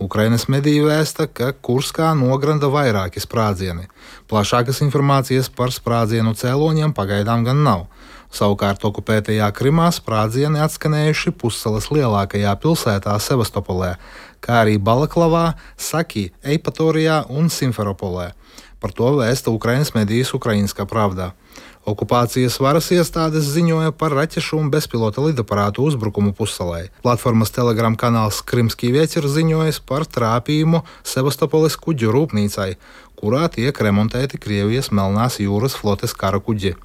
Ukrainas mediji vēsta, ka Kurskā nogranda vairāki sprādzieni. Plašākas informācijas par sprādzienu cēloņiem pagaidām gan nav. Savukārt okupētajā Krimā sprādzieni atskanējuši pussalas lielākajā pilsētā Sevastopolē, kā arī Balaklavā, Saki, Eipatorijā un Simferopolē. Par to vēsta Ukrainas medijas Ukrainska Pravda. Okupācijas varas iestādes ziņoja par raķešu un bezpilota lidaparātu uzbrukumu pussalai. Platformas Telegram kanāls Krimskij Vieķer ziņojas par trāpījumu Sevastopoles kuģu rūpnīcai, kurā tiek remontēti Krievijas Melnās jūras flotes kara kuģi.